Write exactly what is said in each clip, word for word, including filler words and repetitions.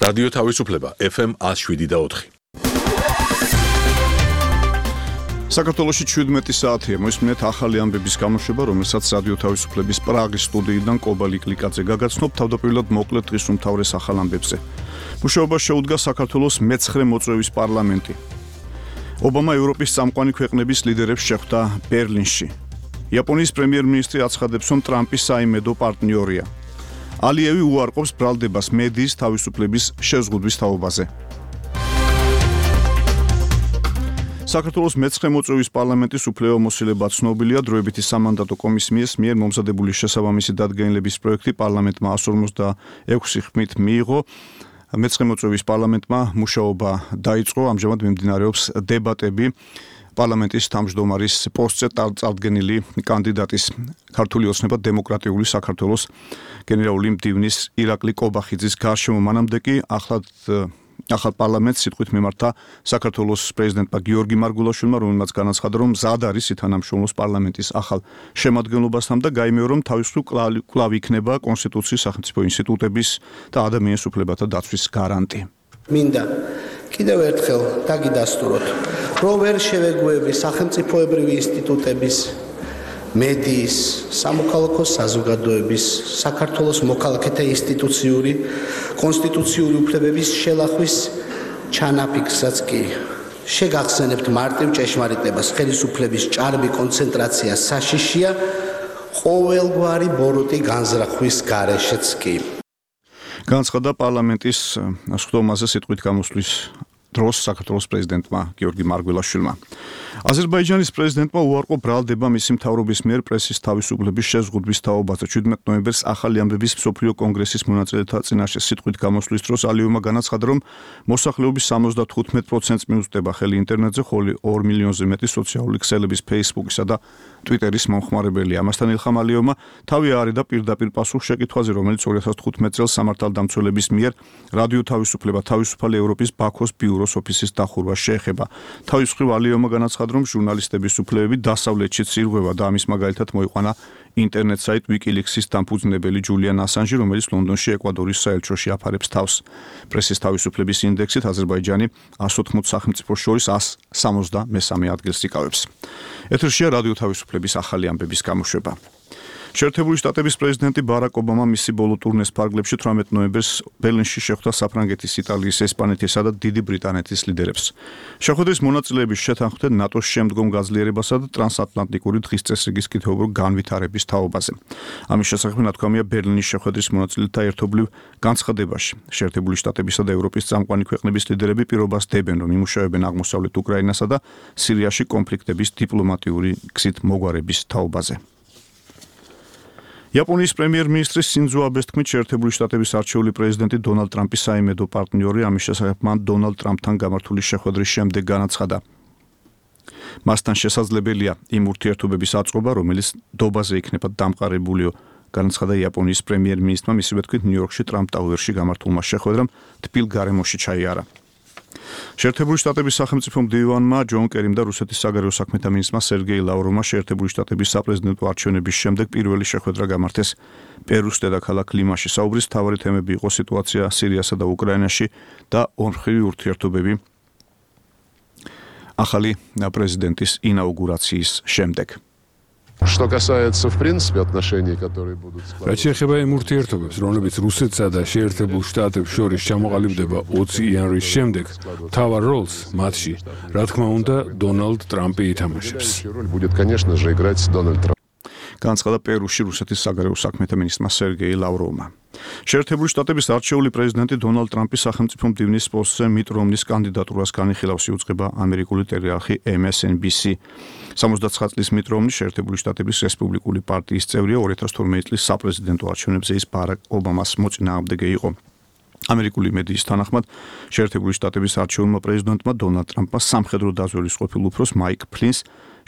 რადიო თავისუფლება ეფ ემ ათს შვიდი და ოთხი. საქართველოში შვიდმეტი საათია მოისმინეთ ახალი ამბების გამოშვება, რომელსაც რადიო თავისუფლების პრაღის სტუდიიდან კობა ლიკლიკაძე გაგაცნობ. თავდაპირველად მოკლედ დღის უმთავრეს ახალ ამბებზე. მუშაობას შეუდგა საქართველოს მეცხრე მოწვევის პარლამენტი. ობამა ევროპის წამყვანი ქვეყნების ლიდერებს შეხვდა ბერლინში. იაპონიის პრემიერ-მინისტრი აცხადებს, რომ ტრამპის საიმედო პარტნიორია. ალიევი უარყოფს ბრალდებას მედიის თავისუფლების შეზღუდვის თაობაზე. საქართველოს მეცხრე მოწვევის პარლამენტის უფლებამოსილება ცნობილია. დროებითი სამანდატო კომისიის მიერ მომზადებული შესაბამისი დადგენილების პროექტი პარლამენტმა εκατს ორმოცდაექვსი ხმით მიიღო. მეცხრე მოწვევის პარლამენტმა მუშაობა დაიწყო. ამჟამად მიმდინარეობს დებატები პარლამენტის თავმჯდომარის პოსტზე წარდგენილი კანდიდატის ქართული ოცნება დემოკრატიული საქართველოს გენერალური მდივნის ირაკლი კობახიძის გარშემო. მანამდე კი ახლად ახალ პარლამენტს სიტყვით მიმართა საქართველოს პრეზიდენტმა გიორგი მარგულაშვილმა, რომელმაც განაცხადა, რომ მზად არის ითანამშრომლოს პარლამენტის ახალ შემადგენლობასთან და გაიმეორა, რომ თავისუფლ კვლავ იქნება კონსტიტუციის, სახელმწიფო ინსტიტუტების და ადამიანის უფლებათა დაცვის გარანტი. მინდა კიდევ ერთხელ დაგიდასტუროთ, რომ ვერ შევეგუები სახელმწიფოებრივი ინსტიტუტების, მედიის, სამოქალაქო საზოგადოების, საქართველოს მოქალაქეთა ინსტიტუციური, კონსტიტუციური უფლებების შელახვის ჩანაფიქრსაც კი შეგახსენებთ მარტივ ჭეშმარიტებას, ხელისუფლების ჭარბი კონცენტრაცია საშიშია ყოველგვარი ბოროტი განზრახვის გარეშეც კი. განაცხადა პარლამენტის სხდომაზე სიტყვით გამოსვლის დროს საქართველოს პრეზიდენტმა გიორგი მარგველაშვილმა. აზერბაიჯანის პრეზიდენტმა უარყო ბრალდება მისი მთავრობის მიერ პრესის თავისუფლების შეზღუდვის თაობაზე. შვიდმეტ ნოემბერს ახალი ამბების მსოფლიო კონგრესის მონაწილეთა წინაშე სიტყვით გამოსვლის დროს ალიევმა განაცხადა, რომ მოსახლეობის სამოცდათხუთმეტ პროცენტს მიუწვდება ხელი ინტერნეტზე, ხოლო ორ მილიონზე მეტი სოციალური ქსელების ფეისბუქისა და ტვიტერის მომხმარებელია. ამასთან ილხამ ალიევმა თავი აარიდა პირდაპირ პასუხ შეკითხვაზე, რომელიც ორი ათას თხუთმეტ წელს სამართალდამცველების მიერ რადიო თავისუფლება თავისუფალი ევროპის ბაქოს ბიუროს ოფისის დახურვას შეეხება. თავის მხრივ ალიევმა განაცხადა, რომ ჟურნალისტების უფლებები დასავლეთშიც ირღვევა და ამის მაგალითად მოიყვანა ინტერნეტ საიტ ვიკილიქსის დამფუძნებელი ჯულიან ასანჟი, რომელიც ლონდონში ეკვადორის საელჩოში აფარებს თავს. პრესის თავისუფლების ინდექსით აზერბაიჯანი εκατს ოთხმოცდ სახელმწიფოს შორის εκατს სამოცდამესამე ადგილს იკავებს. ეთერშია რადიო თავისუფლების ახალი ამბების გამოშვება. შეერთებული შტატების პრეზიდენტი ბარაკ ობამა მისი ბოლო ტურნეს ფარგლებში თვრამეტ ნოემბერს ბერლინში შეხვდა საფრანგეთის, იტალიის, ესპანეთისა და დიდი ბრიტანეთის ლიდერებს. შეხვედრის მონაწილეების შეთანხმდნენ ნატოს შემდგომ გაძლიერებასა და ტრანსატლანტიკური დღის წესრიგის კითხვებურ განვითარების თაობაზე. ამის შესახებ ნათქვამია ბერლინის შეხვედრის მონაწილეთა ერთობლივ განცხადებაში. შეერთებული შტატებისა და ევროპის წამყვანი ქვეყნების ლიდერები პირობას დებენ, რომ იმუშავებენ აღმოსავლეთ უკრაინასა და სირიაში კონფლიქტების დიპლომატიური გზით მოგვარების თაობაზე. იაპონიის პრემიერ-მინისტრის სინძო აბეს თქმით, შეერთებული შტატების არჩეული პრეზიდენტი დონალდ ტრამპის საიმედო პარტნიორი. ამის შესახებ მან დონალდ ტრამპთან გამართული შეხვედრის შემდეგ განაცხადა. მასთან შესაძლებელია იმ ურთიერთობების აწყობა, რომელიც დობაზე იქნება დამყარებულიო. განაცხადა იაპონიის პრემიერ-მინისტრმა მისივე თქმით ნიუ-იორკში ტრამპ ტაუერში გამართულმა შეხვედრამ თბილ გარემოში ჩაიარა. შეერთებული შტატების სახელმწიფო მდივანმა ჯონ კერიმ და რუსეთის საგარეო საქმეთა მინისტრმა სერგეი ლავროვმა შეერთებული შტატების საპრეზიდენტო არჩევნების შემდეგ პირველი შეხვედრა გამართეს პერუს დედაქალაქ ლიმაში. საუბრის მთავარი თემები იყო სიტუაცია სირიასა და უკრაინაში და ორმხრივი ურთიერთობები ახალი პრეზიდენტის ინაუგურაციის შემდეგ. Что касается, в принципе, отношений, которые будут складываться. რაც შეეხება იმ ურთიერთობებს, რომლებიც რუსეთსა და შეერთებულ შტატებს შორის ჩამოყალიბდება ოცი იანვრის შემდეგ, მთავარ როლს მათში, რა თქმა უნდა, დონალდ ტრამპი ითამაშებს. будет, конечно же, играть Дональд Трамп. განაცხადა პერუში რუსეთის საგარეო საქმეთა მინისტრმა სერგეი ლავროვმა. შეერთებული შტატების არჩეული პრეზიდენტი დონალდ ტრამპის სახელმწიფო მდივნის პოსტზე მიტ რომნის კანდიდატურას განიხილავს, იუწყება ამერიკული ტელეარხი ემ ეს ენ ბი სი. სამოცდაცხრა წლის მიტ რომნი შეერთებული შტატების რესპუბლიკური პარტიის წევრია. ორი ათას თორმეტი წლის საპრეზიდენტო არჩევნებზე ის ბარაკ ობამას მოწინააღმდეგე იყო. ამერიკული მედიის თანახმად შეერთებული შტატების არჩეულმა პრეზიდენტმა დონალდ ტრამპმა სამხედრო დაზვერვის ყოფილ უფროს მაიკ ფლინს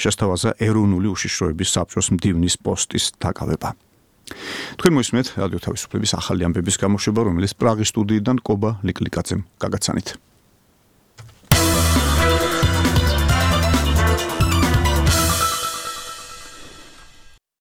შესთავაზა ეროვნული უშიშროების საბჭოს მდივნის პოსტის დაკავება. თქვენ მოისმენთ რადიო თავისუფლების ახალი ამბების გამოშვება, რომელიც პრაღის სტუდიიდან კობა ლიკლიკაძემ გაგაცანით.